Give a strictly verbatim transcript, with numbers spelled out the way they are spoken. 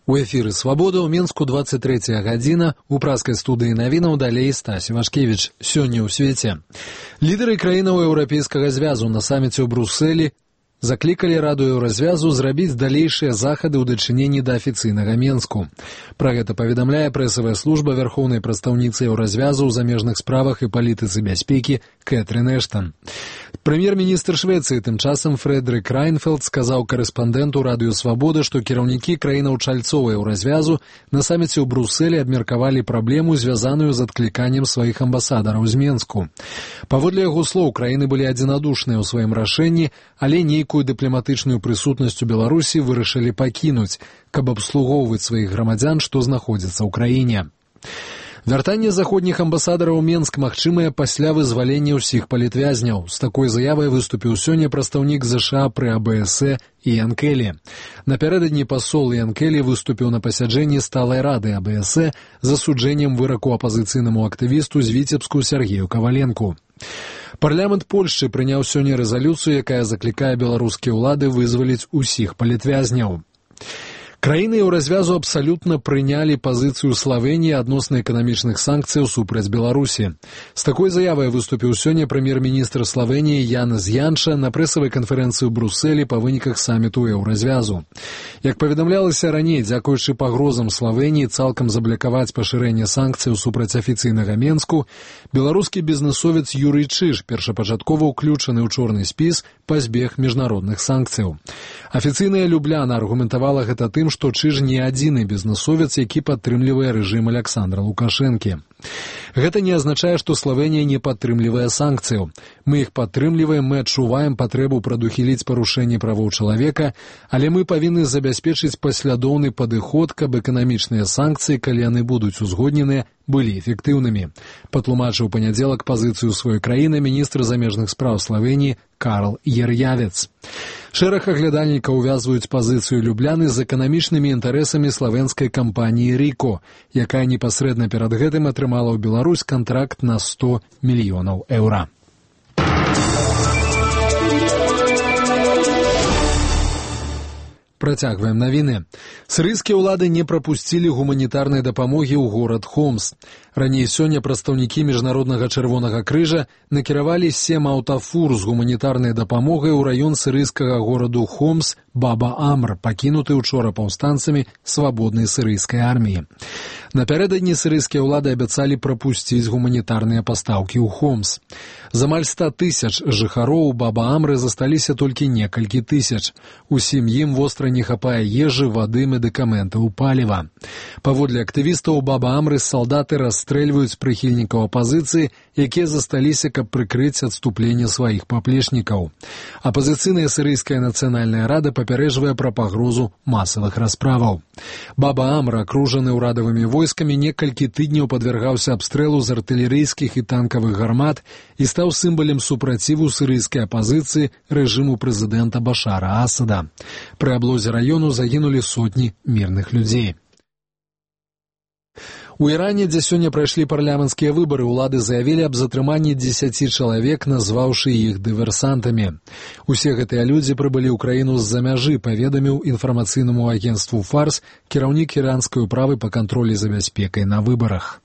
У эфіры «Свабода» ў Мінску двадцать третья гадзіна, у праскай студыі навінаў далей Стась Івашкевіч. Сёння ў свеце. Лідары краінаў Еўрапейскага звязу на саміце ў Брусэлі заклікалі Раду Еўразвязу зрабіць далейшыя захады ў дачыненні да афіцыйнага Менску. Пра гэта паведамляе прэсавая служба вярхоўнай прадстаўніцы Еўразвязу ў замежных справах і палітыцы бяспекі Кэтрин Эштон. Прэм'ер-міністр Швецыі тым часам Фрэдрик Райнфелд сказаў корэспандэнту Радыё Свабода, што кіраўнікі краінаў чальцоў Еўразвязу на саміце ў Брусэлі абмеркавалі праблему, звязаную з адкліканнем сваіх амбасадараў з Менску. Паводле яго слоў, краіны былі адзінадушныя ў сваім рашэнні, але нейкую дыпламатычную прысутнасць у Беларусі вырашылі пакінуць, каб абслугоўваць сваіх грамадзян, што знаходзяцца ў краіне. Вяртанне заходніх амбасадараў у Менск магчымае пасля вызвалення ўсіх палітвязняў. З такой заявай выступіў сёння прадстаўнік ЗША пры А Б С Іан Келі. Напярэдадні пасол Іан Келі выступіў на пасяджэнні сталай рады А Б С з асуджэннем выраку апазіцыйнаму актывісту з Віцебску Сергею Каваленку. Парламент Польшчы прыняў сёння рэзалюцыю, якая заклікае беларускія ўлады вызваліць усіх палітвязняў. Краіны Еўразвязу абсалютна прынялі пазіцыю Славеніі адносна эканамічных санкцыяў супраць Беларусі. З такой заявай выступіў сёння прэм'ер-міністр Славеніі Янез Янша на прэсавай канферэнцыі ў Брусэлі па выніках саміту Еўразвязу. Як паведамлялася раней, дзякуючы пагрозам Славеніі цалкам заблакаваць пашырэнне санкцыяў супраць афіцыйнага Менску, беларускі бізнэсовец Юрый Чыж, першапачаткова ўключаны ў чорны спіс, пазбег міжнародных санкцыяў. Афіцыйная Любляна аргументавала гэта тым, што Чыж не адзіны бізнэсовец, які падтрымлівае рэжым Аляксандра Лукашэнкі. Гэта не азначае, што Славенія не падтрымлівае санкцыяў. Мы іх падтрымліваем, мы адчуваем патрэбу прадухіліць парушэнне правоў чалавека, але мы павінны забяспечыць паслядоўны падыход, каб эканамічныя санкцыі, калі яны будуць узгодненыя, былі эфектыўнымі. Патлумачыў панядзелак пазіцыю сваёй краіны міністр замежных спраў Славеніі Карл Ер'явец. Шэраг аглядальнікаў увязваюць пазіцыю Любляны з эканамічнымі інтарэсамі славенскай кампаніі «Ріко», якая непасрэдна перад гэтым атрымала ў Беларусь кантракт на сто мільёнаў еўра. Працягваем навіны. Сірыйскія ўлады не прапусцілі гуманітарнай дапамогі ў горад Хомс. Раней сёння прадстаўнікі Міжнароднага чырвонага крыжа накіравалі сем аўтафур з гуманітарнай дапамогай у раён сірыйскага гораду Хомс Баба-Амр, пакінуты учора паўстанцамі свабоднай сірыйскай арміі. Напярэдадні сірыйскія ўлады абяцалі прапусціць гуманітарныя пастаўкі ў Хомс. З амаль ста тысяч жыхароў Баба-Амры засталіся толькі некалькі тысяч. Усім ім востра не хапае ежы, вады, медыкаментаў, паліва. Паводле актывістаў Баба-Амры салдаты расстрэльваюць прыхільнікаў апазіцыі, якія засталіся, каб прыкрыць адступленне сваіх паплечнікаў. Апазіцыйная сірыйская нацыянальная рада папярэджвае пра пагрозу масавых расправаў. Баба-Амр, акружаны ўрадавымі войскамі, некалькі тыдняў падвяргаўся абстрэлу з артылерыйскіх і танкавых гармат і стаў сімвалем супраціву сірыйскай апазіцыі рэжыму прэзідэнта Башара Асада. Пры аблозе раёну загінулі сотні мірных людзей. У Іране, дзе сёння прайшлі парламенцкія выбары, улады заявілі аб затрыманні дзесяці чалавек, назваўшы іх дыверсантамі. Усе гэтыя людзі прыбылі ў краіну з-за мяжы, паведаміў інфармацыйнаму агенцтву «Фарс» кіраўнік іранскай управы па кантролі за бяспекай на выбарах.